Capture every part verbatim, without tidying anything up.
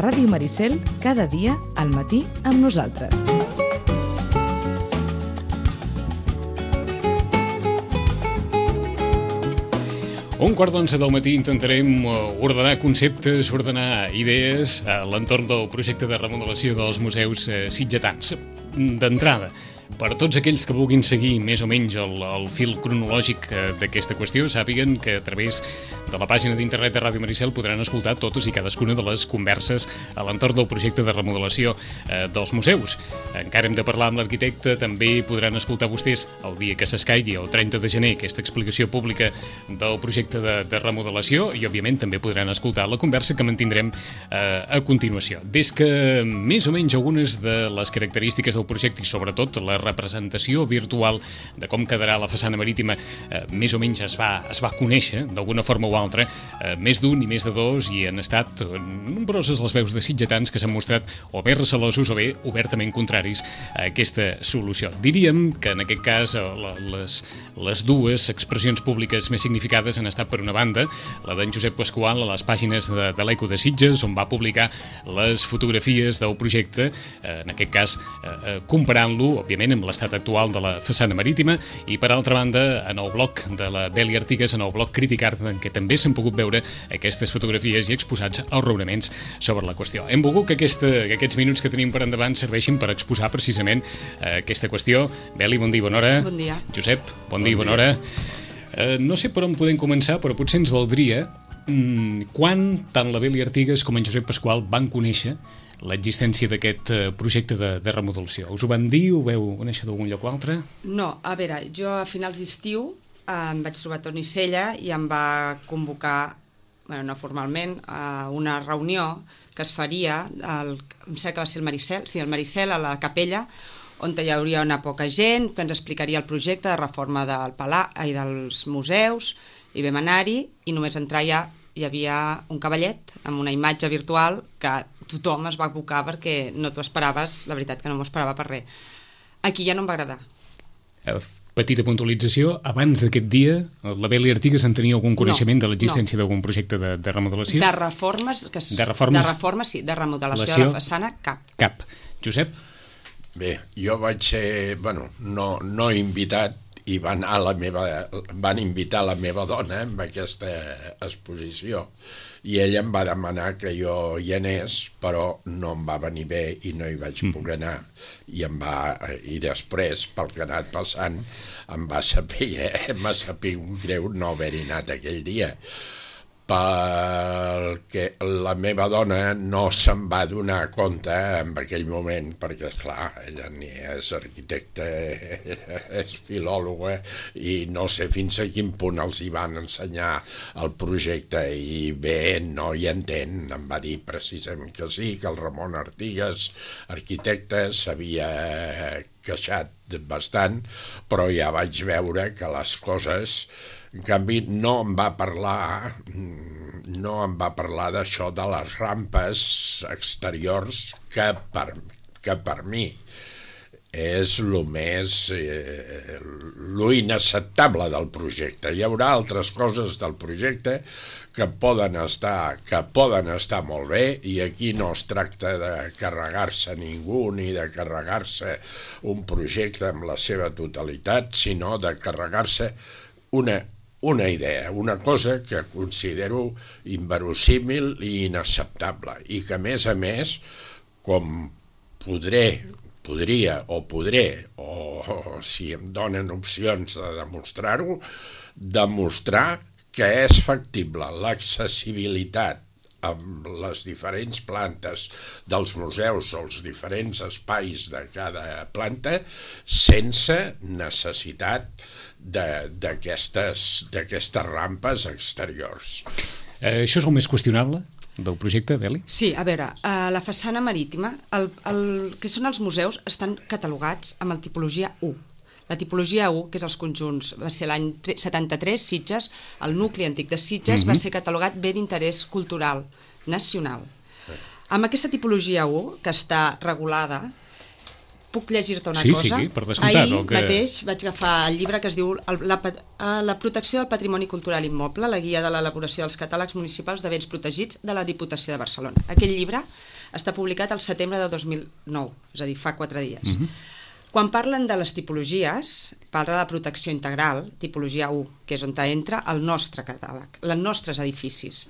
Ràdio Maricel, cada dia al matí amb nosaltres. Un quart d'onze del matí intentarem ordenar conceptes, ordenar idees a l'entorn del projecte de remodelació dels museus sitgetans. D'entrada, per tots aquells que vulguin seguir més o menys el, el fil cronològic d'aquesta qüestió, sàpiguen que a través de la pàgina d'internet de Ràdio Maricel podran escoltar totes i cadascuna de les converses a l'entorn del projecte de remodelació eh, dels museus. Encara hem de parlar amb l'arquitecte, també podran escoltar vostès el dia que s'escaigui, el trenta de gener, aquesta explicació pública del projecte de, de remodelació i, òbviament, també podran escoltar la conversa que mantindrem eh, a continuació. Des que més o menys algunes de les característiques del projecte i, sobretot, la representació virtual de com quedarà la façana marítima eh, més o menys es va, es va conèixer d'alguna forma o altra, eh, més d'un i més de dos, i han estat nombroses les veus de sitgetans que s'han mostrat o bé recelosos o bé obertament contraris a aquesta solució. Diríem que en aquest cas la, les, les dues expressions públiques més significades han estat, per una banda, la d'en Josep Pasqual a les pàgines de, de l'Eco de Sitges, on va publicar les fotografies del projecte, eh, en aquest cas eh, comparant-lo, òbviament, amb l'estat actual de la façana marítima, i per altra banda en el blog de la Beli Artigas, en el blog Crític Art, en què també s'han pogut veure aquestes fotografies i exposats els raonaments sobre la qüestió. Hem volgut que, aquesta, que aquests minuts que tenim per endavant serveixin per exposar precisament eh, aquesta qüestió. Beli, bon dia i bona hora. Bon dia. Josep, bon, bon dia i bona hora. Eh, no sé per on podem començar, però potser ens valdria mm, quan tant la Beli Artigas com en Josep Pasqual van conèixer l'existència d'aquest projecte de, de remodelació. Us ho van dir? Ho veu conèixer d'algun lloc o altre? No, a veure, jo a finals d'estiu eh, em vaig trobar a Toni Sella i em va convocar, bueno, no formalment, a una reunió que es faria, al, em sembla que va ser el Maricel, sí, el Maricel, a la capella, on hi hauria una poca gent, que ens explicaria el projecte de reforma del Palau i dels museus, i vam anar-hi, i només entrar ja hi havia un cavallet amb una imatge virtual que tothom es va abocar perquè no t'ho esperaves, la veritat que no m'ho esperava per res. Aquí ja no em va agradar. Petita puntualització, abans d'aquest dia la Beli Artigas en tenia algun coneixement no, de l'existència no. d'algun projecte de, de remodelació? De reformes, que es, de reformes, de reformes sí, de remodelació relació, de la façana, cap. Cap. Josep? Bé, jo vaig ser, bueno, no, no invitat, i van, a la meva, van invitar la meva dona en aquesta exposició, i ella em va demanar que jo hi anés, però no em va venir bé i no hi vaig poder anar, i em va, i després, pel que ha anat passant, em va saber, m'ha sabut greu no haver-hi anat aquell dia, perquè la meva dona no se'n va donar compte en aquell moment, perquè, esclar, ella ni és arquitecta, és filòloga, i no sé fins a quin punt els hi van ensenyar el projecte, i bé, no hi entén. Em va dir precisament que sí, que el Ramon Artigas, arquitecte, s'havia queixat bastant, però ja vaig veure que les coses... En canvi, no em va parlar, no em va parlar d'això de les rampes exteriors, que per, que per mi és el més, eh, lo inacceptable del projecte. Hi haurà altres coses del projecte que poden estar, que poden estar molt bé, i aquí no es tracta de carregar-se ningú ni de carregar-se un projecte en la seva totalitat, sinó de carregar-se una una idea, una cosa que considero inverosímil i inacceptable, i que a més a més, com podré, podria o podré, o, o si em donen opcions de demostrar-ho, demostrar que és factible l'accessibilitat amb les diferents plantes dels museus o els diferents espais de cada planta sense necessitat d'aquestes d'aquestes rampes exteriors. Eh, això és el més qüestionable del projecte, Beli? Sí, a veure, a la façana marítima, el, el que són els museus estan catalogats amb el tipologia u. La tipologia u, que és els conjunts, va ser l'any setanta-tres, Sitges, el nucli antic de Sitges uh-huh. va ser catalogat bé d'interès cultural nacional. Amb aquesta tipologia u, que està regulada, puc llegir-te una sí, cosa? Sí, sí, per descomptat. Ahir que... mateix vaig agafar el llibre que es diu la, la protecció del patrimoni cultural immoble, la guia de l'elaboració dels catàlegs municipals de béns protegits de la Diputació de Barcelona. Aquest llibre està publicat al setembre de dos mil nou, és a dir, fa quatre dies. Mhm. Quan parlen de les tipologies, parla de protecció integral, tipologia u, que és on entra el nostre catàleg, els nostres edificis.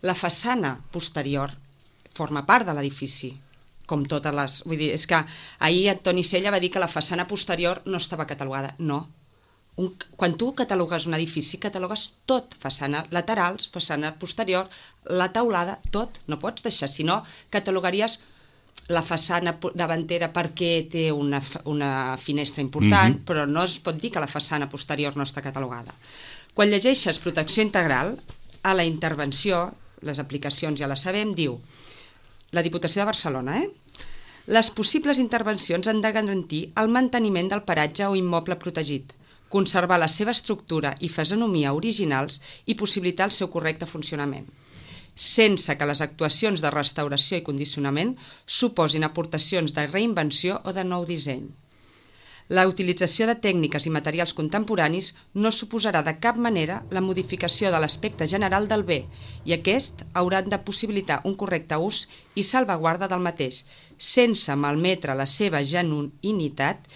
La façana posterior forma part de l'edifici, com totes les... Vull dir, és que ahir en Toni Sella va dir que la façana posterior no estava catalogada. No. Un, quan tu catalogues un edifici, catalogues tot, façana laterals, façana posterior, la teulada, tot. No pots deixar, si no, catalogaries la façana davantera perquè té una, una finestra important, mm-hmm. però no es pot dir que la façana posterior no està catalogada. Quan llegeixes protecció integral, a la intervenció, les aplicacions ja les sabem, diu la Diputació de Barcelona, eh? Les possibles intervencions han de garantir el manteniment del paratge o immoble protegit, conservar la seva estructura i fisonomia originals i possibilitar el seu correcte funcionament, sense que les actuacions de restauració i condicionament suposin aportacions de reinvenció o de nou disseny. La utilització de tècniques i materials contemporanis no suposarà de cap manera la modificació de l'aspecte general del bé i aquest hauran de possibilitar un correcte ús i salvaguarda del mateix, sense malmetre la seva genuïnitat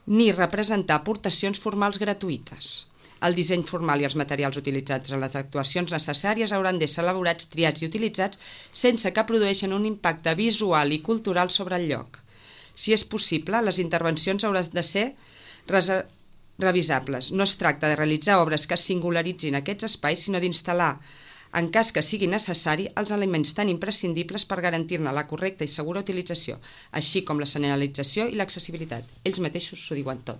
ni representar aportacions formals gratuïtes. El disseny formal i els materials utilitzats en les actuacions necessàries hauran d'ésser elaborats, triats i utilitzats sense que produeixin un impacte visual i cultural sobre el lloc. Si és possible, les intervencions hauran de ser revisables. No es tracta de realitzar obres que singularitzin aquests espais, sinó d'instal·lar, en cas que sigui necessari, els elements tan imprescindibles per garantir-ne la correcta i segura utilització, així com la senyalització i l'accessibilitat. Ells mateixos s'ho diuen tot.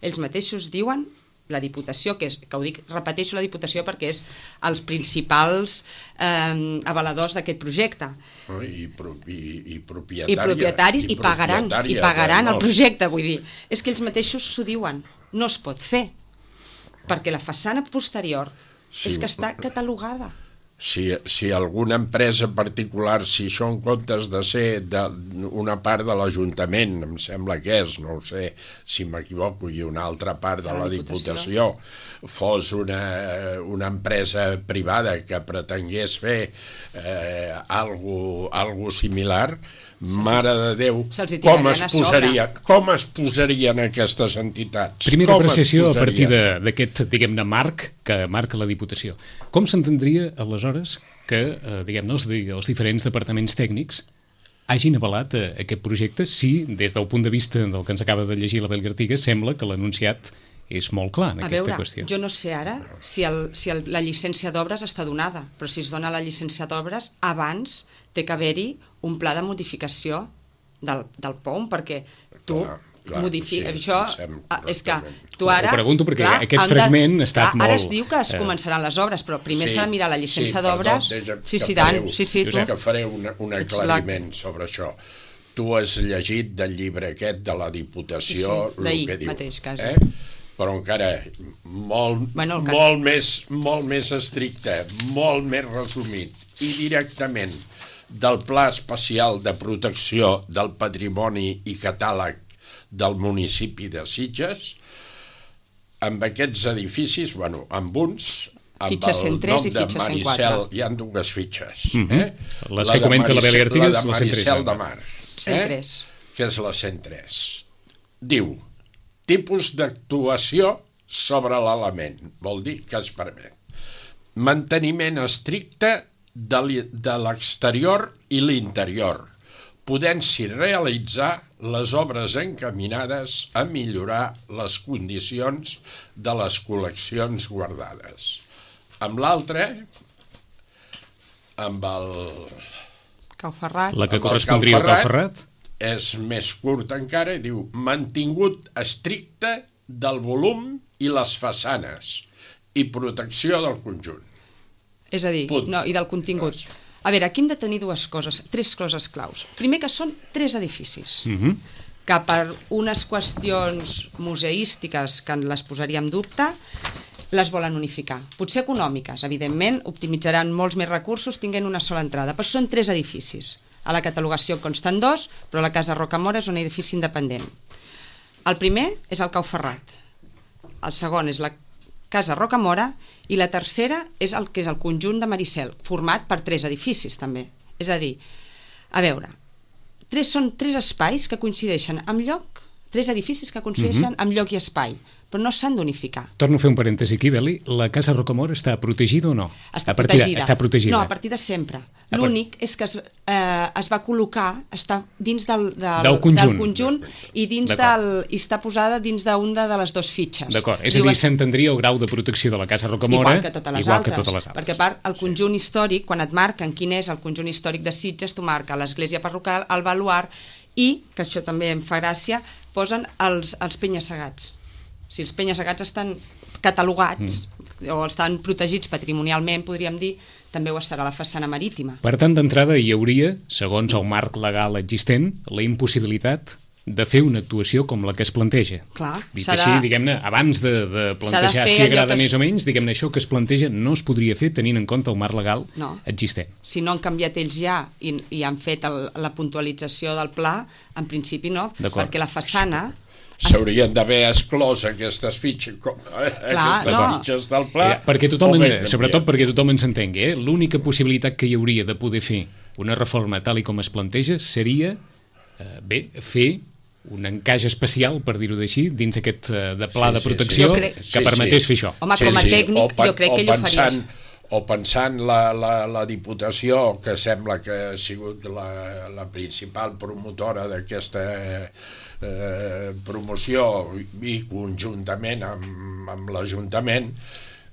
Ells mateixos diuen la Diputació, que, és, que ho dic, repeteixo la Diputació perquè és els principals eh, avaladors d'aquest projecte. Oh, i, pro, i, i propietària. I propietaris, i, i pagaran, i pagaran el projecte, vull dir. És que ells mateixos s'ho diuen. No es pot fer, perquè la façana posterior sí, és que està catalogada. Si, si alguna empresa particular, si això en comptes de ser de una part de l'Ajuntament, em sembla que és, no ho sé, si m'equivoco, i una altra part de la Diputació, fos una, una empresa privada que pretengués fer eh, algo, algo similar, mare de Déu, com es, posaria, com es posarien aquestes entitats? Primera apreciació a partir d'aquest, diguem-ne, marc que marca la Diputació. Com s'entendria, aleshores, que eh, diguem-ne, els, els diferents departaments tècnics hagin avalat eh, aquest projecte si, des del punt de vista del que ens acaba de llegir l'Abel Gartiga, sembla que l'anunciat és molt clar en a aquesta veure, qüestió. Jo no sé ara si, el, si el, la llicència d'obres està donada, però si es dona la llicència d'obres, abans té que haver-hi un pla de modificació del, del P O M, perquè tu clar, clar, modifiques... Sí, això és que tu ara... Ho pregunto perquè clar, aquest fragment ha estat clar, molt... Ara es diu que es començaran les obres, però primer sí, s'ha de mirar la llicència sí, d'obres... Sí, sí, tant. Sí, sí, tu. Que faré un, un aclariment la... sobre això. Tu has llegit del llibre aquest de la Diputació... Sí, sí. D'ahir mateix, quasi. Eh? Però encara molt, bueno, molt, més, molt més estricte, molt més resumit i directament del Pla Especial de Protecció del Patrimoni i Catàleg del municipi de Sitges, amb aquests edificis, bueno, amb uns, amb fitxa cent tres el nom de Maricel, hi ha dues fitxes. Mm-hmm. eh? Les la que comenta la Beli Artigas, la de Maricel de Mar, cent tres. Eh? Que és la cent tres. Diu, tipus d'actuació sobre l'element, vol dir que es permet. Manteniment estricte de l'exterior i l'interior, podent-s'hi realitzar les obres encaminades a millorar les condicions de les col·leccions guardades. Amb l'altre, amb el... Cau Ferrat. La que correspondria al Cau Ferrat. És més curt encara, diu, mantingut estricte del volum i les façanes i protecció del conjunt. És a dir, no, i del contingut. A veure, aquí hem de tenir dues coses, tres coses claus. Primer, que són tres edificis, mm-hmm. que per unes qüestions museístiques que les posaria en dubte, les volen unificar. Potser econòmiques, evidentment, optimitzaran molts més recursos tinguent una sola entrada, però són tres edificis. A la catalogació consten dos, però la Casa Rocamora és un edifici independent. El primer és el Cau Ferrat, el segon és la Casa Rocamora i la tercera és el que és el conjunt de Maricel, format per tres edificis també. És a dir, A veure, tres, són tres espais que coincideixen amb lloc, tres edificis que coincideixen amb lloc i espai, però no s'han d'unificar. Torno a fer un parèntesi aquí, Beli. La Casa Rocamora està protegida o no? Està a partir de, protegida. Està protegida. No, a partir de sempre. L'únic és que es, eh, es va col·locar, està dins del, del, del conjunt, del conjunt i, dins del, i està posada dins d'una de les dues fitxes. D'acord, és a dir, s'entendria el grau de protecció de la Casa Rocamora igual que totes les, igual altres, que totes les altres. Perquè a part, el conjunt històric, quan et marquen quin és el conjunt històric de Sitges, tu marca l'església parroquial, el baluard i, que això també em fa gràcia, posen els, els penya-segats. Si els penya-segats estan catalogats mm. o estan protegits patrimonialment, podríem dir, també ho estarà a la façana marítima. Per tant, d'entrada hi hauria, segons el marc legal existent, la impossibilitat de fer una actuació com la que es planteja. Clar, Dit així, diguem-ne, abans de, de plantejar de si agrada més es... o menys, diguem-ne, això que es planteja no es podria fer tenint en compte el marc legal no. existent. Si no han canviat ells ja i, i han fet el, la puntualització del pla, en principi no, perquè la façana... S'haurien d'haver exclòs aquestes fitxes, com, eh, Clar, aquestes no. fitxes del pla. Eh, perquè tothom, en, sobretot perquè tothom ens entengui, eh? L'única possibilitat que hi hauria de poder fer una reforma tal i com es planteja seria, eh, bé, fer un encaix especial, per dir-ho així, dins aquest eh, de pla sí, de protecció sí, sí. Crec... que permetés sí, sí. fer això. Home, com a sí, tècnic, sí. jo crec que ell ho faria. O pensant la, la, la Diputació, que sembla que ha sigut la, la principal promotora d'aquesta eh, promoció i conjuntament amb, amb l'Ajuntament,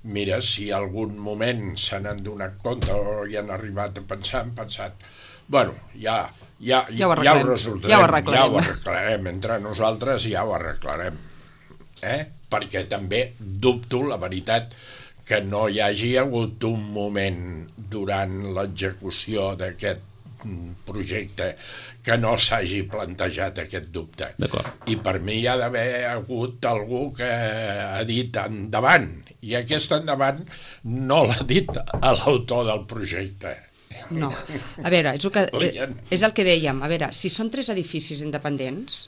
mira, si algun moment se n'han donat compte o hi han arribat a pensar, han pensat, bueno, ja, ja, ja, ho, ja ho resoldrem, ja ho arreglarem. ja ho arreglarem, entre nosaltres ja ho arreglarem. Eh? Perquè també dubto, la veritat, que no hi hagi hagut un moment durant l'execució d'aquest projecte que no s'hagi plantejat aquest dubte. I per mi hi ha d'haver hagut algú que ha dit endavant, i aquest endavant no l'ha dit a l'autor del projecte. No, a veure, és el que, és el que dèiem, a veure, si són tres edificis independents,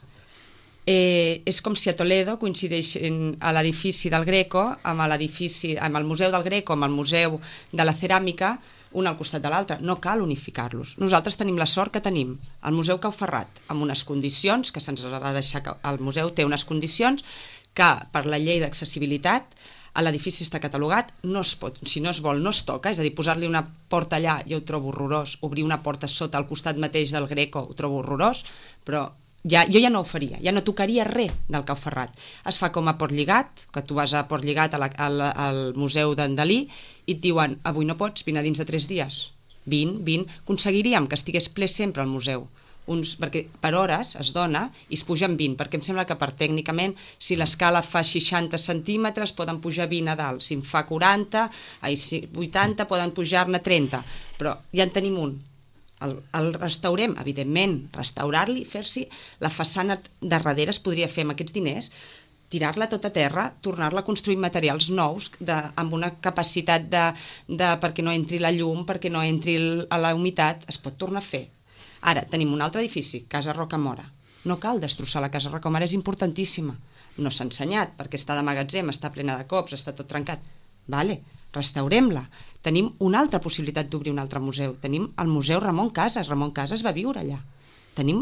Eh, és com si a Toledo coincideixen a l'edifici del Greco amb l'edifici, amb el Museu del Greco, amb el Museu de la Ceràmica, un al costat de l'altre. No cal unificar-los. Nosaltres tenim la sort que tenim el Museu Cau Ferrat amb unes condicions, que se'ns va deixar, el museu té unes condicions que per la llei d'accessibilitat l'edifici està catalogat, no es pot, si no es vol no es toca, és a dir, posar-li una porta allà jo ho trobo horrorós, obrir una porta sota al costat mateix del Greco ho trobo horrorós, però Ja, jo ja no ho faria, ja no tocaria res del Cau Ferrat. Es fa com a Port Lligat, que tu vas a Port Lligat a la, a la, al Museu d'en Dalí i et diuen, avui no pots, vine dins de tres dies. Vine, vine. Aconseguiríem que estigués ple sempre al museu. Uns, perquè per hores es dona i es pugen vint, perquè em sembla que per tècnicament, si l'escala fa seixanta centímetres, poden pujar vint a dalt. Si en fa quaranta, ai, vuitanta, poden pujar-ne trenta. Però ja en tenim un. El, el restaurem, evidentment, restaurar-li, fer-s'hi la façana de darrere es podria fer amb aquests diners, tirar-la tot a terra, tornar-la a construir materials nous de, amb una capacitat de, de perquè no entri la llum, perquè no entri el, la humitat, es pot tornar a fer. Ara, tenim un altre edifici, Casa Rocamora. No cal destrossar la Casa Rocamora, és importantíssima. No s'ha ensenyat, perquè està de magatzem, està plena de cops, està tot trencat. Vale, restaurem-la. Tenim una altra possibilitat d'obrir un altre museu. Tenim el Museu Ramon Casas. Ramon Casas va viure allà. Tenim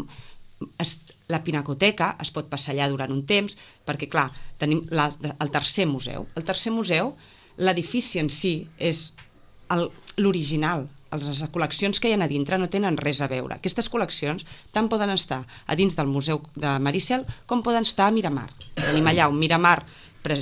es, la Pinacoteca, es pot passar allà durant un temps, perquè, clar, tenim la, el tercer museu. El tercer museu, l'edifici en si és l'original. Les col·leccions que hi ha a dintre no tenen res a veure. Aquestes col·leccions tant poden estar a dins del Museu de Maricel com poden estar a Miramar. Tenim allà un Miramar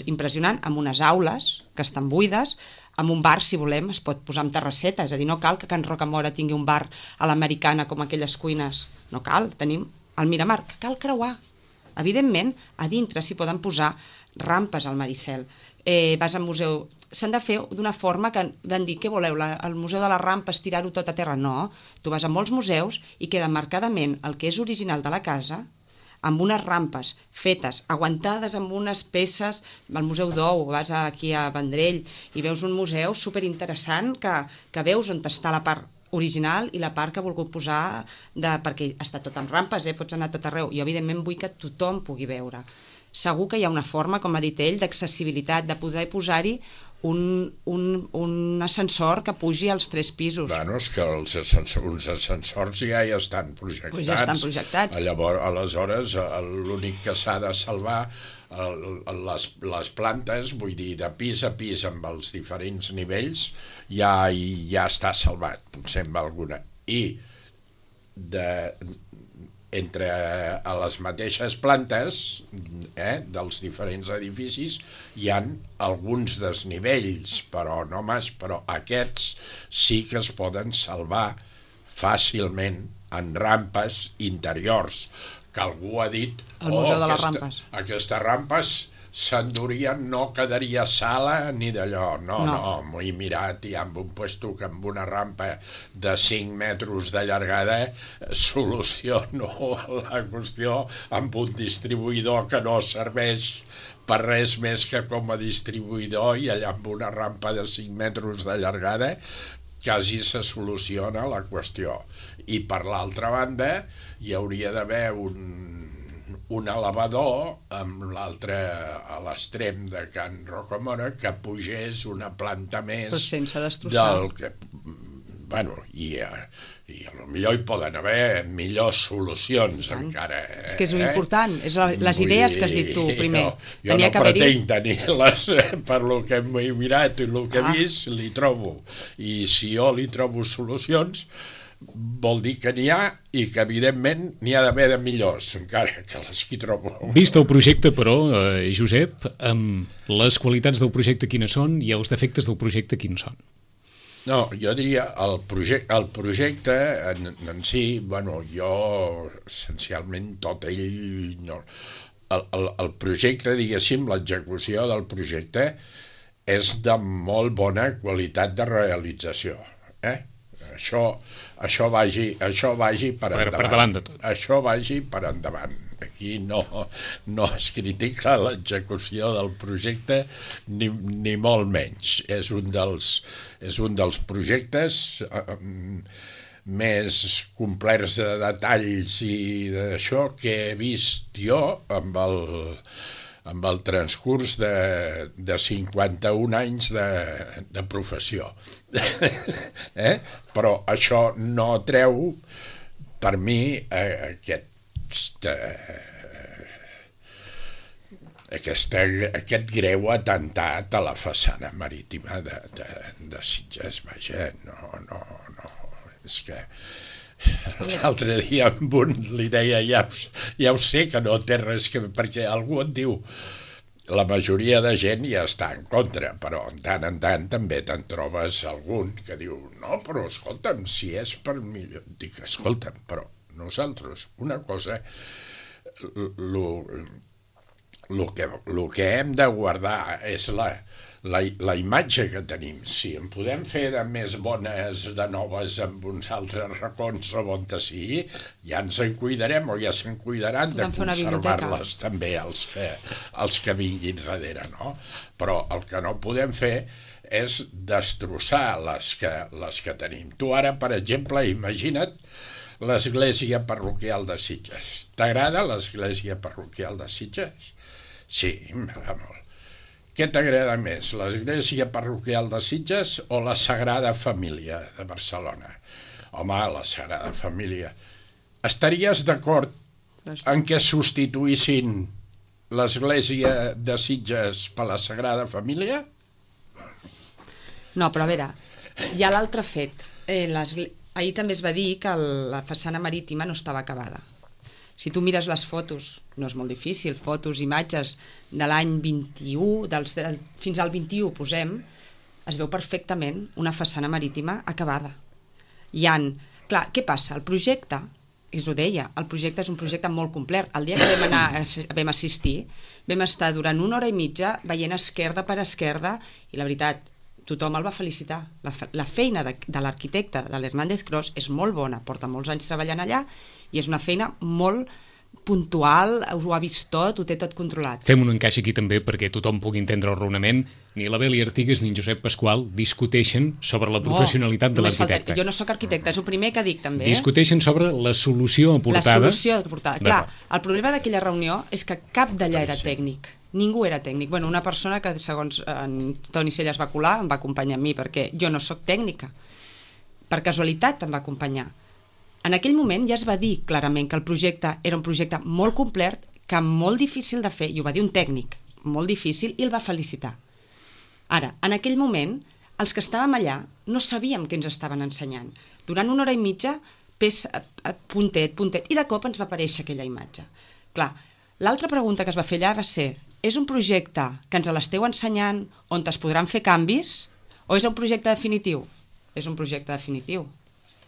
impressionant, amb unes aules que estan buides, amb un bar, si volem, es pot posar amb terrasseta, és a dir, no cal que Can Rocamora tingui un bar a l'americana com aquelles cuines, no cal, tenim el Miramar, que cal creuar. Evidentment, a dintre s'hi poden posar rampes al Maricel. Eh, vas al museu, s'han de fer d'una forma que han dit, què voleu, la, el museu de les rampes, tirar-ho tot a terra? No, tu vas a molts museus i queda marcadament el que és original de la casa, amb unes rampes fetes, aguantades amb unes peces, al Museu d'Ou, vas aquí a Vendrell i veus un museu superinteressant que, que veus on està la part original i la part que ha volgut posar, de, perquè està tot amb rampes, eh? Pots anar tot arreu. Jo, evidentment, vull que tothom pugui veure. segur que hi ha una forma, com ha dit ell, d'accessibilitat, de poder posar-hi un, un, un ascensor que pugi als tres pisos. Bueno, és que els ascensors, uns ascensors ja hi estan projectats. Pues ja estan projectats. Llavors, aleshores, l'únic que s'ha de salvar les, les plantes, vull dir, de pis a pis amb els diferents nivells, ja, ja està salvat, potser amb alguna. I de... entre a les mateixes plantes eh, dels diferents edificis hi han alguns desnivells, però no mas, però aquests sí que es poden salvar fàcilment en rampes interiors, que algú ha dit el Museu oh, de les aquesta, Rampes. Aquestes rampes s'endurien, no quedaria sala ni d'allò, no, no, no m'ho he mirat i amb un puesto que amb una rampa de cinc metres de llargada soluciono la qüestió amb un distribuïdor que no serveix per res més que com a distribuïdor, i allà amb una rampa de cinc metres de llargada quasi se soluciona la qüestió. I per l'altra banda hi hauria d'haver un un elevador amb l'altre a l'extrem de Can Rocamora que pugés una planta més, però sense destrossar del que, bueno, i, i a lo millor hi poden haver millors solucions encara. Eh? És que és important, és la, les idees que has dit tu primer. Jo, jo no pretenc tenir-les per lo que m'he mirat i el que he ah. vist, li trobo. I si jo li trobo solucions, vol dir que n'hi ha i que evidentment n'hi ha d'haver de millors, encara que les que trobo. Vist el projecte, però, eh, Josep, amb les qualitats del projecte quines són i els defectes del projecte quins són? No, jo diria el projecte, el projecte en, en si, bueno, jo essencialment tot ell no, el, el, el projecte, diguéssim, l'execució del projecte és de molt bona qualitat de realització, eh? Això, això, vagi, això vagi per, per, endavant. per davant de tot. Això vagi per endavant. Aquí no, no es critica l'execució del projecte ni, ni molt menys. És un dels, és un dels projectes eh, més complets de detalls i d'això que he vist jo amb el... amb el transcurs de, de cinquanta-un anys de, de professió. eh? Però això no treu, per mi, eh, aquest, eh, aquesta, aquest greu atemptat a la façana marítima de, de, de Sitges. Vaja, no, no, no, és que... L'altre dia amb un li deia ja, ja ho sé que no té res que... perquè algú et diu la majoria de gent ja està en contra, però en tant en tant també te'n trobes algun que diu no, però escolta'm, si és per millor... Dic, escolta'm, però nosaltres una cosa el que, lo que hem de guardar és la La, la imatge que tenim. Si en podem fer de més bones, de noves, amb uns altres racons o on sigui, ja ens en cuidarem o ja se'n cuidaran de conservar-les també els que, els que vinguin darrere, no? Però el que no podem fer és destrossar les que, les que tenim. Tu ara, per exemple, imagina't l'església parroquial de Sitges. T'agrada l'església parroquial de Sitges? Sí, m'agrada molt. Què t'agrada més, l'església parroquial de Sitges o la Sagrada Família de Barcelona? Home, la Sagrada Família. Estaries d'acord en què substituïssin l'església de Sitges per la Sagrada Família? No, però a veure, hi ha l'altre fet. Eh, ahir també es va dir que la façana marítima no estava acabada. Si tu mires les fotos, no és molt difícil, fotos, imatges de l'any vint-i-u, dels, del, fins al vint-i-u posem, es veu perfectament una façana marítima acabada. Hi ha, clar, què passa? El projecte, és ho deia, el projecte és un projecte molt complet. El dia que vam, anar, vam assistir, vam estar durant una hora i mitja veient esquerda per esquerda i la veritat, tothom el va felicitar. La, la feina de, de l'arquitecte, de l'Hernández Cros, és molt bona, porta molts anys treballant allà i és una feina molt puntual, ho ha vist tot, ho té tot controlat. Fem un encaix aquí també perquè tothom pugui entendre el raonament. Ni la Beli Artigas ni en Josep Pasqual discuteixen sobre la professionalitat no, de l'arquitecte. Jo no sóc arquitecte, és el primer que dic també. Discuteixen sobre la solució aportada. La solució aportada. Clar, el problema d'aquella reunió és que cap d'allà era tècnic. Ningú era tècnic. Bueno, una persona que, segons en Toni Cella es va colar, em va acompanyar a mi, perquè jo no sóc tècnica. Per casualitat em va acompanyar. En aquell moment ja es va dir clarament que el projecte era un projecte molt complet, que molt difícil de fer, i ho va dir un tècnic, molt difícil, i el va felicitar. Ara, en aquell moment, els que estàvem allà no sabíem què ens estaven ensenyant. Durant una hora i mitja, pes, puntet, puntet, i de cop ens va aparèixer aquella imatge. Clar, l'altra pregunta que es va fer allà va ser: és un projecte que ens l'esteu ensenyant on es podran fer canvis o és un projecte definitiu? És un projecte definitiu.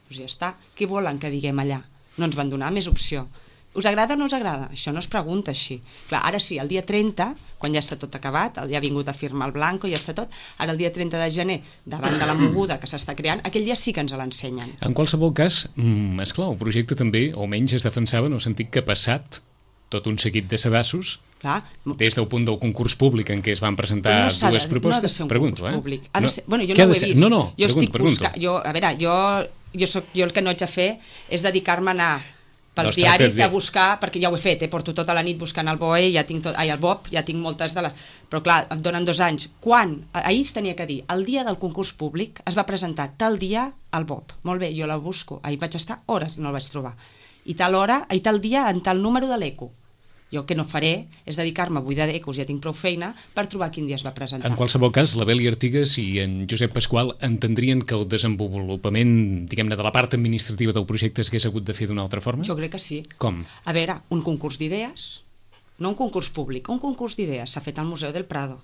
Doncs ja està. Què volen que diguem allà? No ens van donar més opció. Us agrada o no us agrada? Això no es pregunta així. Clar, ara sí, el dia trenta, quan ja està tot acabat, ja ha vingut a firmar el Blanco, ja està tot, ara el dia trenta de gener, davant de la moguda que s'està creant, aquell dia sí que ens l'ensenyen. En qualsevol cas, mm, esclar, el projecte també, o menys es defensava en el sentit que ha passat tot un seguit de sedassos. Clar. Des del punt del concurs públic en què es van presentar no dues de, propostes. No ha de ser un pregunto, concurs eh? públic. Ha no, de ser, bueno, jo no ho he ser? vist. No, no, jo pregunto, estic pregunto. buscant, jo, a veure, jo, jo, soc, jo el que no haig de fer és dedicar-me a anar pels no, diaris a buscar, perquè ja ho he fet, eh? Porto tota la nit buscant el B O E, ja tinc tot, ai, el B O P, ja tinc moltes de les... Però clar, em donen dos anys. Quan? Ahir es tenia que dir, el dia del concurs públic es va presentar tal dia al B O P. Molt bé, jo la busco. Ahir vaig estar hores, no el vaig trobar. I tal hora, i tal dia, en tal número de l'ECO. Jo el que no faré és dedicar-me a buidar d'ecos, ja tinc prou feina, per trobar quin dia es va presentar. En qualsevol cas, la Beli Artigas i en Josep Pasqual entendrien que el desenvolupament, diguem-ne, de la part administrativa del projecte s'hagués hagut de fer d'una altra forma? Jo crec que sí. Com? A veure, un concurs d'idees, no un concurs públic, un concurs d'idees s'ha fet al Museu del Prado.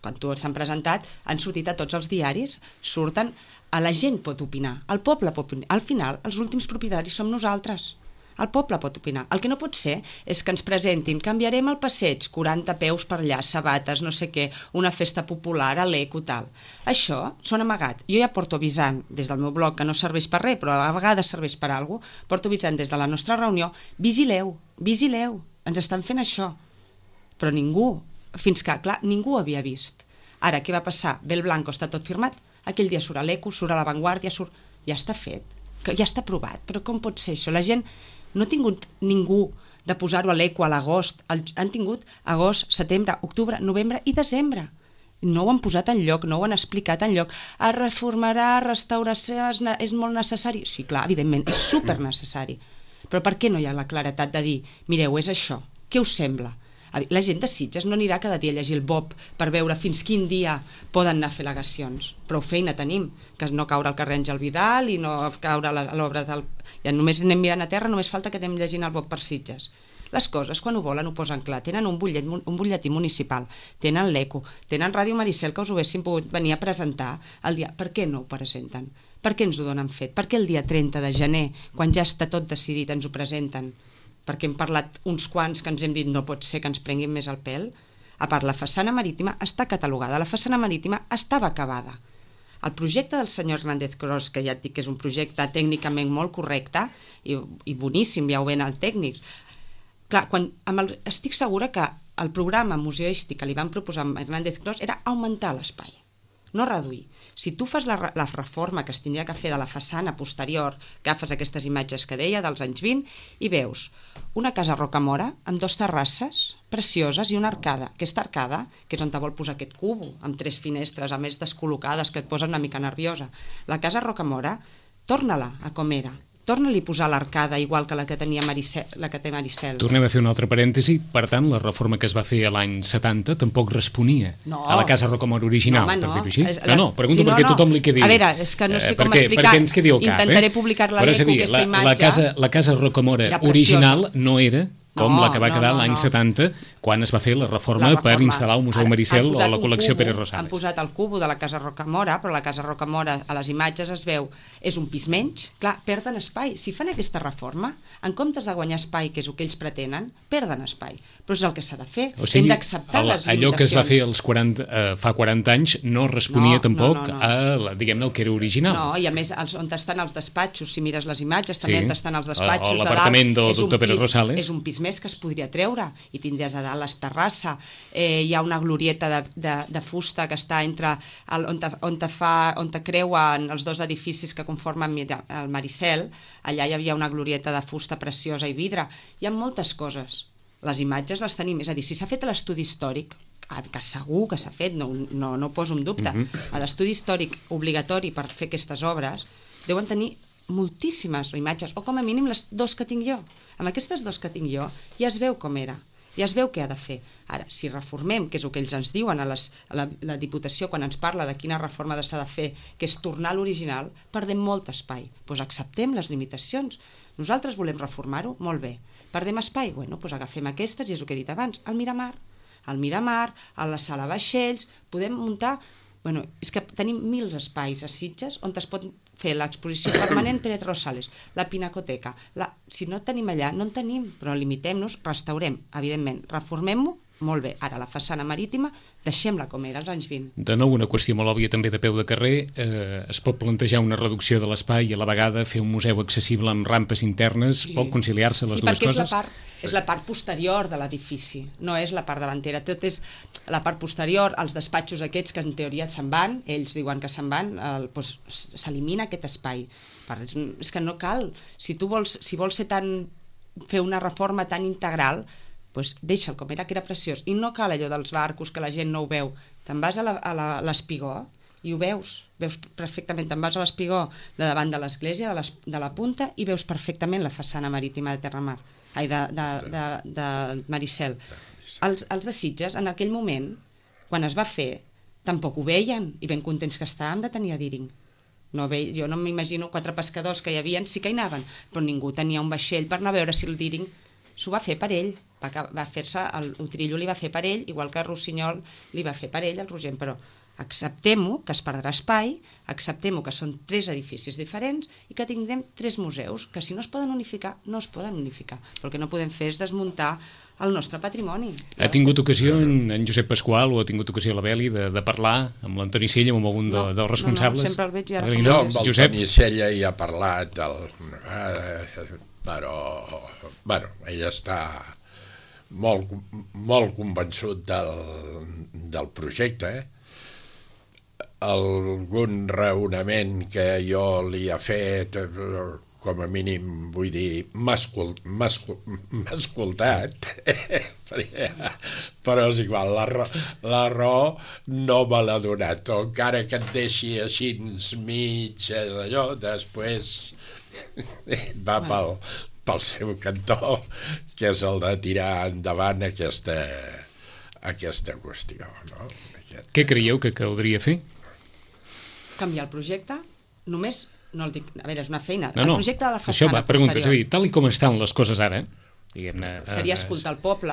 Quan tots s'han presentat, han sortit a tots els diaris, surten, a la gent pot opinar, el poble pot opinar. Al final, els últims propietaris som nosaltres. El poble pot opinar. El que no pot ser és que ens presentin, canviarem el passeig, quaranta peus per allà, sabates, no sé què, una festa popular, a l'eco, tal. Això són amagat. Jo ja porto avisant des del meu blog, que no serveix per res, però a vegades serveix per alguna cosa, porto avisant des de la nostra reunió, vigileu, vigileu, ens estan fent això. Però ningú, fins que, clar, ningú ho havia vist. Ara, què va passar? Ve el Blanco, està tot firmat, aquell dia surt a l'eco, surt a l'avantguàrdia, surt... ja està fet, que ja està aprovat, però com pot ser això? La gent no ha tingut ningú de posar-ho a l'eco a l'agost, han tingut agost, setembre, octubre, novembre i desembre. No ho han posat enlloc, no ho han explicat enlloc. Es reformarà, restauració, és molt necessari. Sí, clar, evidentment, és supernecessari. Però per què no hi ha la claretat de dir, mireu, és això, què us sembla? La gent de Sitges no anirà cada dia a llegir el B O P per veure fins quin dia poden anar a fer al·legacions. Prou feina tenim, que no caure al carrer Àngel Vidal i no caure a l'obra del... Ja només anem mirant a terra, només falta que anem llegint el B O P per Sitges. Les coses, quan ho volen, ho posen clar. Tenen un butllet, un butlletí municipal, tenen l'ECO, tenen Ràdio Maricel, que us ho haguessin pogut venir a presentar el dia. Per què no ho presenten? Per què ens ho donen fet? Per què el dia trenta de gener, quan ja està tot decidit, ens ho presenten? Perquè hem parlat uns quants que ens hem dit no pot ser que ens prenguin més el pèl. A part, la façana marítima està catalogada, la façana marítima estava acabada. El projecte del senyor Hernández Cros, que ja et dic que és un projecte tècnicament molt correcte i, i boníssim, ja ho ven el tècnic. Clar, quan, amb el, estic segura que el programa museístic que li van proposar a Hernández Cros era augmentar l'espai, no reduir. Si tu fas la, la reforma que es tindria que fer de la façana posterior, agafes aquestes imatges que deia dels anys vint i veus una casa Rocamora amb dos terrasses precioses i una arcada. Aquesta arcada, que és on te vol posar aquest cubo, amb tres finestres, a més descol·locades, que et posen una mica nerviosa. La casa Rocamora, torna-la a com era. Torna-li a posar l'arcada igual que la que tenia Maricel, la que té Maricel. Tornem a fer un altre parèntesi. Per tant, la reforma que es va fer a l'any setanta tampoc responia no. a la casa Rocamora original, no, home, no. per dir-ho així. La... No, no, pregunto sí, no, perquè no. tothom li quedi... A veure, és que no sé eh, com perquè, explicar. Perquè ens quedi al cap, Intentaré eh? publicar-la Però l'eco, dir, aquesta la, imatge. La casa, la casa Rocamora original no era com no, la que va quedar no, no, l'any no. setanta, quan es va fer la reforma, la reforma per instal·lar el Museu Maricel o la col·lecció cubo, Pere Rosales. Han posat el cubo de la casa Rocamora, però la casa Rocamora a les imatges es veu, és un pis menys, clar, perden espai. Si fan aquesta reforma, en comptes de guanyar espai, que és el que ells pretenen, perden espai. Però és el que s'ha de fer, o sigui, hem d'acceptar les limitacions. Allò que es va fer als quaranta, eh, fa quaranta anys no responia no, tampoc no, no, no. a, diguem-ne, el que era original. No, i a més, els, on estan els despatxos, si mires les imatges, també sí. on estan els despatxos o de dalt, l'apartament del és un doctor Pere pis, Rosales. és un pis més que es podria treure, i tindries a dalt l'esterrassa, eh, hi ha una glorieta de, de, de fusta que està entre el, on, te, on, te fa, on te creuen els dos edificis que conformen el Maricel, allà hi havia una glorieta de fusta preciosa i vidre, hi ha moltes coses, les imatges les tenim, és a dir, si s'ha fet l'estudi històric, que segur que s'ha fet, no, no, no ho poso en dubte, mm-hmm. l'estudi històric obligatori per fer aquestes obres, deuen tenir moltíssimes imatges, o com a mínim les dos que tinc jo. Amb aquestes dos que tinc jo ja es veu com era, ja es veu què ha de fer. Ara, si reformem, que és el que ells ens diuen a, les, a la, la Diputació quan ens parla de quina reforma s'ha de fer, que és tornar a l'original, perdem molt espai. Doncs acceptem les limitacions. Nosaltres volem reformar-ho, molt bé. Perdem espai? Bueno, doncs agafem aquestes, i és el que he dit abans, el Miramar, al Miramar, a la sala vaixells, podem muntar... Bueno, és que tenim mil espais a Sitges on es pot fer l'exposició permanent Pérez Rosales, la Pinacoteca. La... Si no tenim allà, no en tenim, però limitem-nos, restaurem, evidentment, reformem-ho, molt bé. Ara, la façana marítima, deixem-la com era als anys vint. De nou, una qüestió molt òbvia també de peu de carrer. Eh, es pot plantejar una reducció de l'espai i a la vegada fer un museu accessible amb rampes internes, sí. Pot conciliar-se les sí, dues coses? Sí, perquè és la part... És la part posterior de l'edifici, no és la part davantera. Tot és la part posterior, els despatxos aquests que en teoria se'n van, ells diuen que se'n van, el, doncs, s'elimina aquest espai. És, és que no cal. Si tu vols, si vols ser tan, fer una reforma tan integral, doncs deixa'l com era, que era preciós. I no cal allò dels barcos que la gent no ho veu. Te'n vas a l'Espigó i ho veus, veus perfectament. Te'n vas a l'Espigó de davant de l'església, de, de la punta, i veus perfectament la façana marítima de Terramar. Ai, de, de, de, de Maricel. Els, els de Sitges, en aquell moment, quan es va fer, tampoc ho veien, i ben contents que estàvem de tenir a Díring. No ve, jo no m'imagino quatre pescadors que hi havia, sí que hi anaven, però ningú tenia un vaixell per anar a veure si el Díring s'ho va fer per ell. Va, va fer-se, el Utrillo li va fer per ell, igual que el Rossinyol li va fer per ell, el Rogent, però acceptem-ho, que es perdrà espai, acceptem-ho, que són tres edificis diferents i que tindrem tres museus, que si no es poden unificar, no es poden unificar. Però el que no podem fer és desmuntar el nostre patrimoni. Ha tingut ocasió en, en Josep Pasqual o ha tingut ocasió la Beli de, de parlar amb l'Antoni Sella, amb algun de, no, dels responsables? No, no, sempre el veig i ara fa no, amb l'Antoni Sella hi ha parlat, del, eh, però bueno, ell està molt, molt convençut del, del projecte, eh? Algun raonament que jo li he fet, com a mínim, vull dir, m'ha escoltat, però és igual, la, raó, la raó no me l'ha donat, o encara que et deixi així mig d'allò, després va pel, pel seu cantó, que és el de tirar endavant aquesta, aquesta qüestió. No? Aquest... Què creieu que caldria fer? Canviar el projecte, només, no el dic, a veure, és una feina, no, no, el projecte de la façana això va, pregunta, posterior. dir, tal i com estan les coses ara, diguem-ne... Seria escoltar el poble,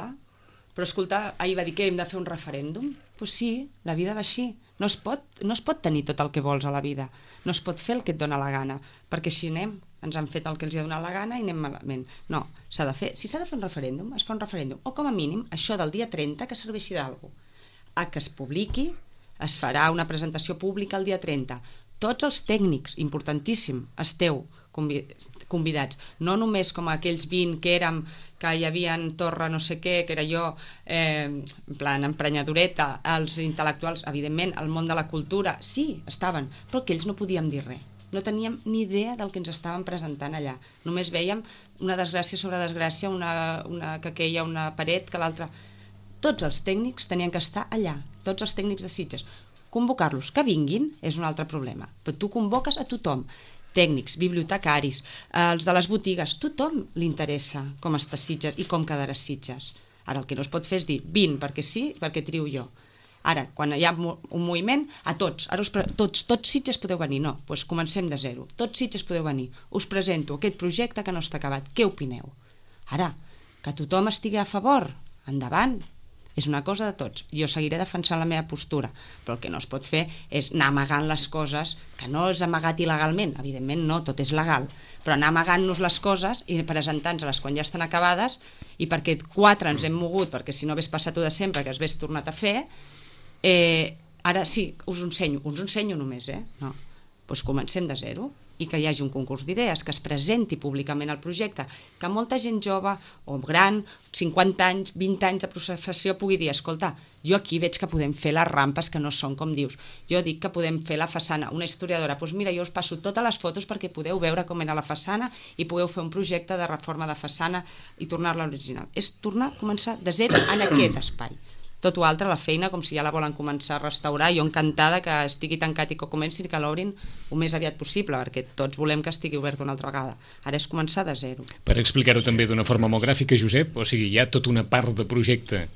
però escoltar, ahir va dir que hem de fer un referèndum, doncs pues sí, la vida va així, no es, pot, no es pot tenir tot el que vols a la vida, no es pot fer el que et dona la gana, perquè si anem, ens han fet el que els ha donat la gana i anem malament. No, s'ha de fer, si s'ha de fer un referèndum, es fa un referèndum, o com a mínim, això del dia trenta que serveixi d'alguna cosa, a que es publiqui, es farà una presentació pública el dia trenta. Tots els tècnics, importantíssim, esteu convidats. No només com aquells vint que érem, que hi havia en Torre no sé què, que era jo, eh, en plan emprenyadoreta, els intel·lectuals, evidentment, el món de la cultura, sí, estaven, però que ells no podíem dir res. No teníem ni idea del que ens estaven presentant allà. Només veiem una desgràcia sobre desgràcia, una, una que queia una paret que l'altra... Tots els tècnics tenien que estar allà, tots els tècnics de Sitges. Convocar-los, que vinguin, és un altre problema. Però tu convoques a tothom, tècnics, bibliotecaris, els de les botigues, tothom li interessa com està Sitges i com quedarà Sitges. Ara el que no es pot fer és dir, vint perquè sí, perquè trio jo. Ara, quan hi ha un moviment, a tots, ara us pre... tots, tots Sitges podeu venir, no, doncs comencem de zero, tots Sitges podeu venir, us presento aquest projecte que no està acabat, què opineu? Ara, que tothom estigui a favor, endavant, és una cosa de tots. Jo seguiré defensant la meva postura, però el que no es pot fer és anar amagant les coses, que no és amagat il·legalment, evidentment no, tot és legal, però anar amagant-nos les coses i presentant-les quan ja estan acabades, i perquè quatre ens hem mogut, perquè si no hagués passat-ho de sempre, que es hagués tornat a fer, eh, ara sí, us ho ensenyo, us ho ensenyo només, eh? No, doncs comencem de zero. i que hi hagi un concurs d'idees, que es presenti públicament el projecte, que molta gent jove o gran, cinquanta anys, vint anys de professió pugui dir, escolta, jo aquí veig que podem fer les rampes que no són com dius, jo dic que podem fer la façana, una historiadora, doncs mira, jo us passo totes les fotos perquè podeu veure com era la façana i podeu fer un projecte de reforma de façana i tornar-la original. És tornar a començar de zero en aquest espai. Tot o altre, la feina, com si ja la volen començar a restaurar, jo encantada que estigui tancat i que comencin, que l'obrin el més aviat possible, perquè tots volem que estigui obert una altra vegada. Ara és començar de zero. Per explicar-ho també d'una forma molt gràfica, Josep, o sigui, hi ha tota una part de projecte,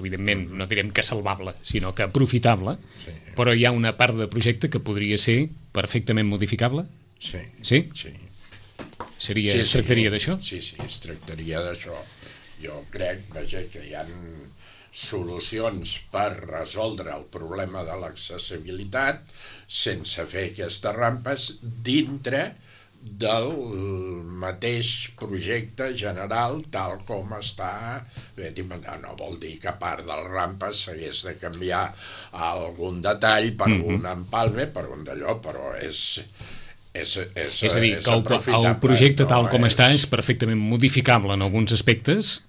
evidentment, no direm que salvable, sinó que aprofitable, sí. Però hi ha una part de projecte que podria ser perfectament modificable? Sí. Sí? Sí. Seria, sí, es tractaria sí. d'això? Sí, sí, es tractaria d'això. Jo crec, vaja, que hi ha solucions per resoldre el problema de l'accessibilitat sense fer aquestes rampes dintre del mateix projecte general tal com està. No vol dir que a part de les rampes s'hagués de canviar algun detall per mm-hmm. un empalme, per un d'allò, però és... És, és, és a dir, és que el, el projecte tal com és... està és perfectament modificable en alguns aspectes.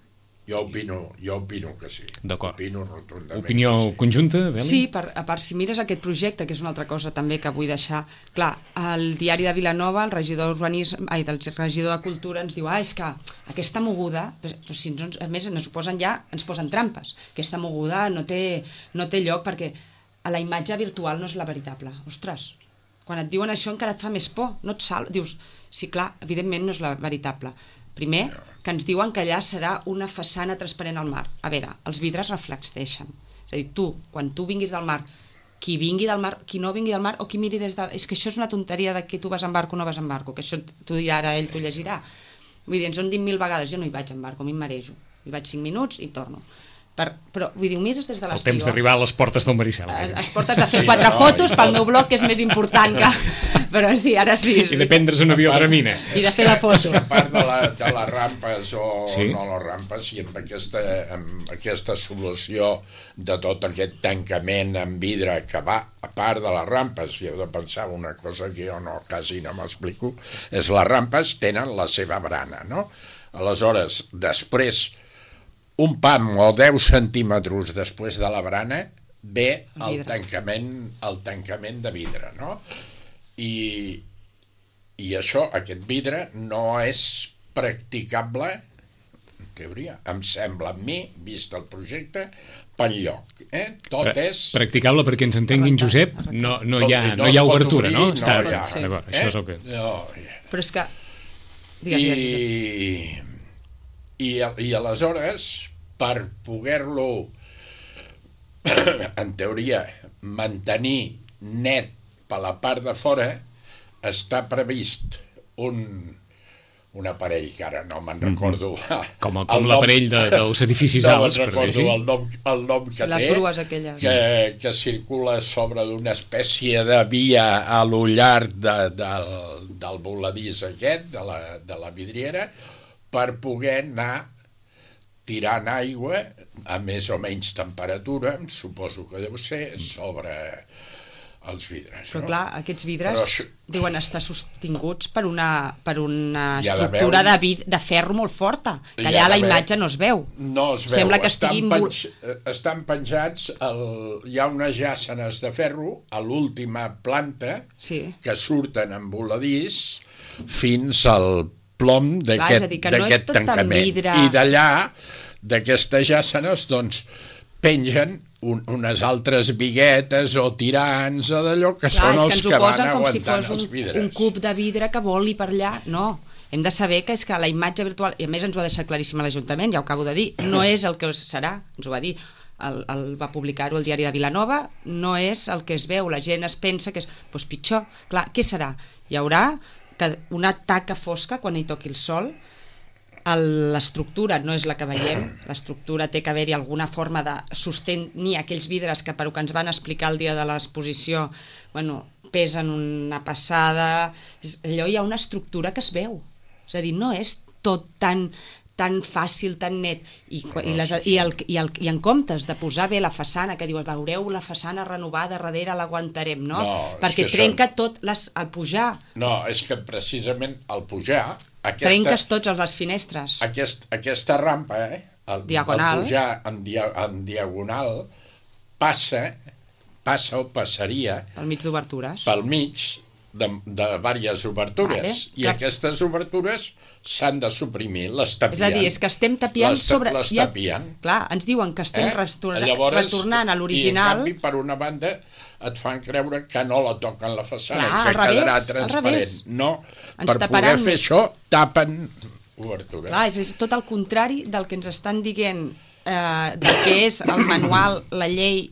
Jo opino, jo opino que sí. D'acord. Opino rotundament. Opinió sí. conjunta, Beli? Sí, per, a part, si mires aquest projecte, que és una altra cosa també que vull deixar clar, el diari de Vilanova, el regidor d'Urbanisme, ai, del regidor de Cultura ens diu, ah, és que aquesta moguda, però si ens, a més ens posen ja, ens posen trampes, aquesta moguda no té, no té lloc perquè a la imatge virtual no és la veritable. Ostres, quan et diuen això encara et fa més por, no et sal... Dius, sí, clar, evidentment no és la veritable. Primer, que ens diuen que allà serà una façana transparent al mar. A veure, els vidres reflecteixen. És a dir, tu, quan tu vinguis del mar, qui vingui del mar, qui no vingui del mar, o qui miri des de... És que això és una tonteria de que tu vas en barco o no vas en barco, que això t'ho dirà ara ell, t'ho llegirà. Vull dir, ens ho han dit mil vegades, jo no hi vaig en barco, a mi em marejo. Hi vaig cinc minuts i torno. Per, però, vull dir, ho mires des de l'estiu. El temps d'arribar a les portes del Maricel. A les portes de fer quatre sí, fotos no, pel meu blog, que és més important que... Però sí, ara sí. I de prendre's un avió de ramina. I de fer la foto. A part de, la, de les rampes o sí? no les rampes, i amb aquesta, amb aquesta solució de tot aquest tancament en vidre que va, a part de les rampes, i heu de pensar una cosa que jo no, quasi no m'explico, és les rampes tenen la seva barana, no? Aleshores, després... un pam o deu centímetres després de la barana ve el tancament, el tancament de vidre, no? I, i això, aquest vidre, no és practicable, en teoria, em sembla a mi, vist el projecte, pel lloc. Eh? Tot Pra, és... Practicable perquè ens entenguin, Josep, no, no, hi, ha, no, no hi ha obertura, obrir, no? no Està, hi ha. sí. D'acord, això eh? és el que... No, però és que... Digues, I, digues, i, I aleshores, per poder-lo, en teoria, mantenir net per la part de fora, està previst un, un aparell que ara no me'n recordo. Mm-hmm. Com, com l'aparell de, dels edificis no alts, per dir-ho. No me'n recordo el nom, el nom que les té, grues aquelles. Que, que circula sobre d'una espècie de via a lo llarg de, del, del voladís aquest, de la, de la vidriera, per poder anar tirant aigua a més o menys temperatura, suposo que deu ser, sobre els vidres. Però no? clar, aquests vidres això... diuen estar sostinguts per una, per una estructura de, vid de ferro molt forta, que allà la imatge no es veu. No es veu, sembla que estan, estiguin... penj... estan penjats, el... hi ha unes jàssenes de ferro a l'última planta sí. que surten en voladís fins al plom d'aquest no tancament. Vidre... I d'allà, d'aquestes jàssenes, doncs, pengen un, unes altres biguetes o tirants o d'allò que clar, són els que, que van aguantant si fos un, els vidres. Un cub de vidre que voli per allà. No, hem de saber que és que la imatge virtual, i a més ens ho ha deixat claríssim a l'Ajuntament, ja ho acabo de dir, no és el que serà, ens ho va dir, el, el, va publicar-ho el diari de Vilanova, no és el que es veu, la gent es pensa que és doncs pitjor. Clar, què serà? Hi haurà que una taca fosca quan hi toqui el sol. L'estructura no és la que veiem, l'estructura té que haver-hi alguna forma de sostenir aquells vidres que, per que ens van explicar el dia de l'exposició, bueno, pesen una passada, allò hi ha una estructura que es veu, és a dir, no és tot tan, tan fàcil, tan net, i, i, les, i, el, i, el, i en comptes de posar bé la façana, que diuen, veureu la façana renovada, darrere l'aguantarem, no? No, perquè trenca són... tot les, el pujar. No, és que precisament al pujar... Aquesta, trenques tots els les finestres. Aquest, aquesta rampa, eh, el, diagonal. el pujar en, dia, en diagonal, passa, passa o passaria... Pel mig d'obertures. Pel mig de, de diverses obertures. Vale, I clar. Aquestes obertures s'han de suprimir, les tapien. És a dir, és que estem tapiant les, sobre... Les tapien. Ja, clar, ens diuen que estem eh? restorna... Llavors, retornant a l'original... I en canvi, per una banda, et fan creure que no la toquen la façana, clar, que revés, quedarà transparent. No, ens per poder fer més. això, tapen obertures. Clar, és, és tot el contrari del que ens estan dient, eh, del que és el manual, la llei,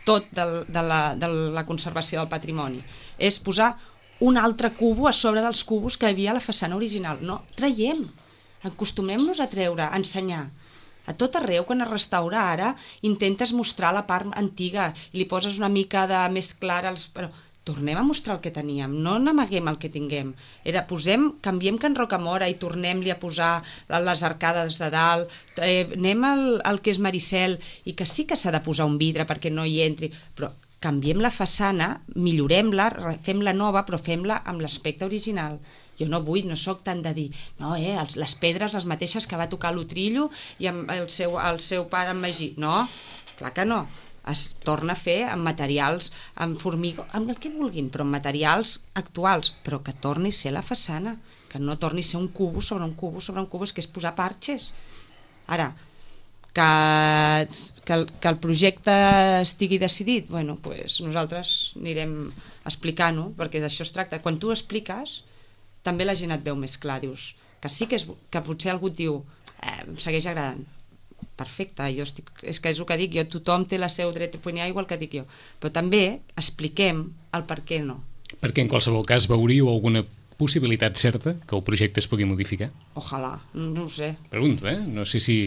tot del, de, la, de la conservació del patrimoni. És posar un altre cubo a sobre dels cubos que hi havia a la façana original. No, traiem, acostumem-nos a treure, a ensenyar. A tot arreu, quan es restaura ara, intentes mostrar la part antiga i li poses una mica de més clara, els... però tornem a mostrar el que teníem, no n'amaguem el que tinguem. Era, posem, canviem Can Rocamora i tornem-li a posar les arcades de dalt, eh, anem al, al que és Maricel, i que sí que s'ha de posar un vidre perquè no hi entri, però canviem la façana, millorem-la, fem-la nova, però fem-la amb l'aspecte original. Jo no vull, no sóc tant de dir, no, eh, els, les pedres les mateixes que va tocar l'Utrillo i amb el seu, el seu pare en Magí. No, clar que no. Es torna a fer amb materials, amb formigó, amb el que vulguin, però amb materials actuals, però que torni a ser la façana, que no torni a ser un cubo sobre un cubo sobre un cubo, és que és posar parxes. Ara, que, que, el, que el projecte estigui decidit, bueno, pues nosaltres anirem explicant-ho, perquè d'això es tracta. Quan tu expliques, també la gent et veu més clar, dius, que sí que, és, que potser algú et diu, eh, em segueix agradant. Perfecte, jo estic, és que és el que dic jo, tothom té el seu dret a opinar igual que dic jo, però també expliquem el per què no. Perquè en qualsevol cas veuríeu alguna possibilitat certa que el projecte es pugui modificar? Ojalà, no ho sé. Pregunto, eh? No sé si...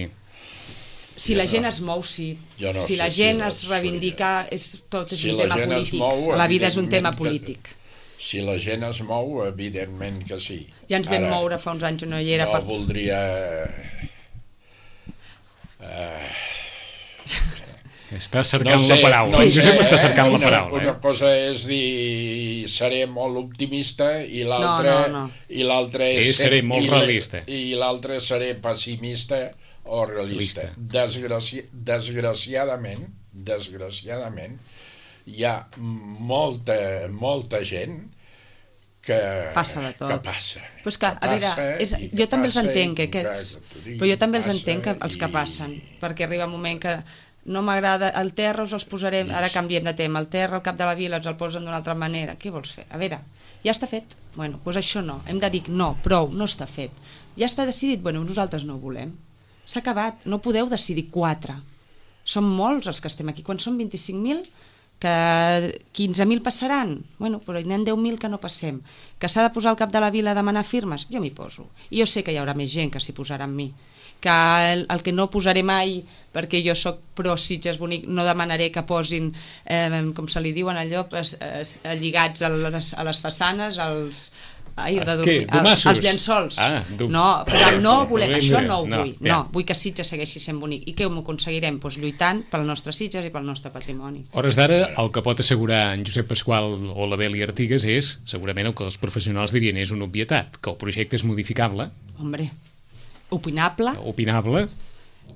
Si la gent es mou, sí. No si la gent es reivindica, és, tot és un tema polític. La vida és un tema polític. Si la gent es mou, evidentment que sí. Ja ens vam moure fa uns anys, no hi era... No voldria... Uh... Està cercant no sé, la paraula, no, Josep està cercant una, la paraula. Una eh? cosa és dir seré molt optimista i l'altra no, no, no. i l'altra és, és seré molt realista. I l'altra seré pessimista o realista. Desgraci... Desgraciadament, desgraciadament, hi ha molta, molta gent que passa de tot. Que passa. Però és que, que a veure, és, jo també els entenc, que aquests, però jo també els entenc que, els que passen, i... perquè arriba un moment que no m'agrada, el terra us els posarem, ara canviem de tema, el terra al cap de la vila ens el posen d'una altra manera, què vols fer? A veure, ja està fet, bueno, doncs això no, hem de dir no, prou, no està fet, ja està decidit, bueno, nosaltres no ho volem, s'ha acabat, no podeu decidir quatre, som molts els que estem aquí, quan són vint-i-cinc mil, que quinze mil passaran, bueno, però hi n'hi ha deu mil que no passem, que s'ha de posar al cap de la vila a demanar firmes, jo m'hi poso, i jo sé que hi haurà més gent que s'hi posarà amb mi, que el, el que no posaré mai, perquè jo sóc pro Sitges Bonic, no demanaré que posin, eh, com se li diuen allò, es, es, lligats a les, a les façanes, als... Ai, de dormir, els, els llençols. Ah, no, però no volem, això no ho no, vull. No, vull que Sitges segueixi sent bonic. I què ho aconseguirem? Pues lluitant pel nostre Sitges i pel nostre patrimoni. Hores d'ara, el que pot assegurar en Josep Pasqual o la Beli Artigas és, segurament el que els professionals dirien és una obvietat, que el projecte és modificable. Hombre, opinable. Opinable.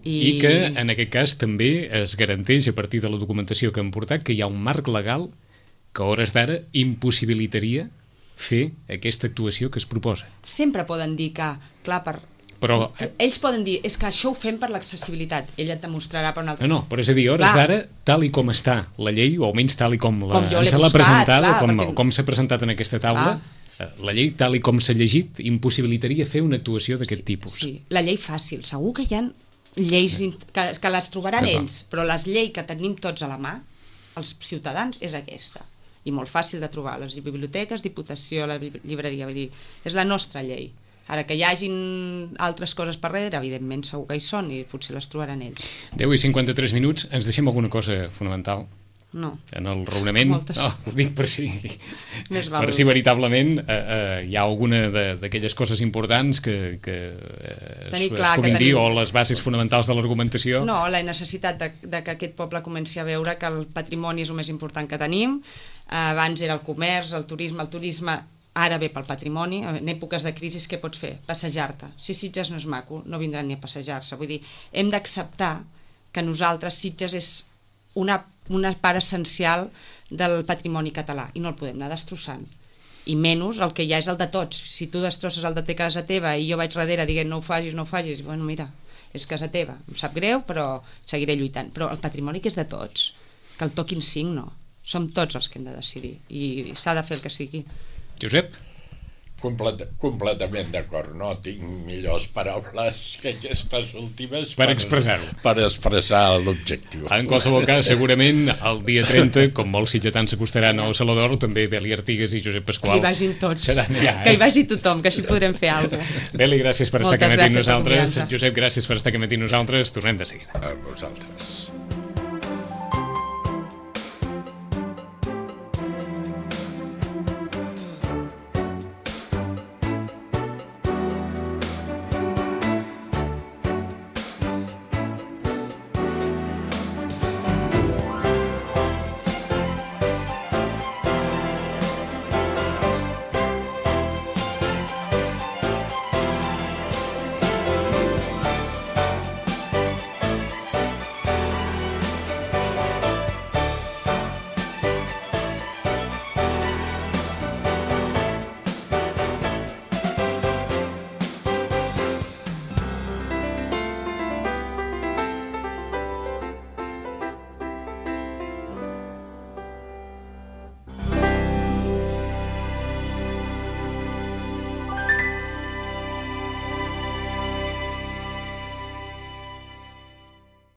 I... I que, en aquest cas, també es garanteix, a partir de la documentació que han portat, que hi ha un marc legal que a hores d'ara impossibilitaria fer aquesta actuació que es proposa. Sempre poden dir que, clar, per... Però... ells poden dir, és que això ho fem per l'accessibilitat, ell et demostrarà per un altre... No, no, però és a dir, a hores d'ara, tal i com està la llei, o almenys tal i com la, com ens l'ha presentada, clar, com, perquè... com s'ha presentat en aquesta taula, clar. La llei, tal i com s'ha llegit, impossibilitaria fer una actuació d'aquest sí, tipus. Sí, la llei fàcil, segur que hi ha lleis que, que les trobaran no, ells, però les lleis que tenim tots a la mà, els ciutadans, és aquesta. I molt fàcil de trobar, les biblioteques, Diputació, la llibreria, vull dir, és la nostra llei. Ara que hi hagin altres coses per darrere, evidentment segur que hi són i potser les trobaran ells. deu i cinquanta-tres minuts, ens deixem alguna cosa fonamental? no. En el raonament, Moltes. no, ho dic per si, Més val. per si veritablement eh, eh, hi ha alguna d'aquelles coses importants que, que eh, es, es clar puguin que dir, tenim... o les bases fonamentals de l'argumentació. No, la necessitat de, de que aquest poble comenci a veure que el patrimoni és el més important que tenim. Eh, abans era el comerç, el turisme, el turisme ara ve pel patrimoni. En èpoques de crisi què pots fer? Passejar-te. Si Sitges no és maco, no vindran ni a passejar-se. Vull dir, hem d'acceptar que nosaltres Sitges és una, una part essencial del patrimoni català i no el podem anar destrossant. I menys el que ja és el de tots. Si tu destrosses el de te casa teva i jo vaig darrere dient no ho facis, no ho facis, bueno, mira, és casa teva. Em sap greu, però seguiré lluitant. Però el patrimoni que és de tots, que el toquin cinc, no. Som tots els que hem de decidir i s'ha de fer el que sigui. Josep? Complet, completament d'acord, no tinc millors paraules que aquestes últimes per expressar-ho, per expressar l'objectiu. En qualsevol cas, segurament el dia trenta, com molts sitgetans s'acostaran al Saló d'Or, també Beli Artigas i Josep Pasqual que hi vagin tots, allà, eh? que hi vagi tothom, que així podrem fer alguna cosa. Beli, gràcies per Moltes estar aquí amb nosaltres. Josep, gràcies per estar aquí amb nosaltres. Tornem de seguida. A vosaltres.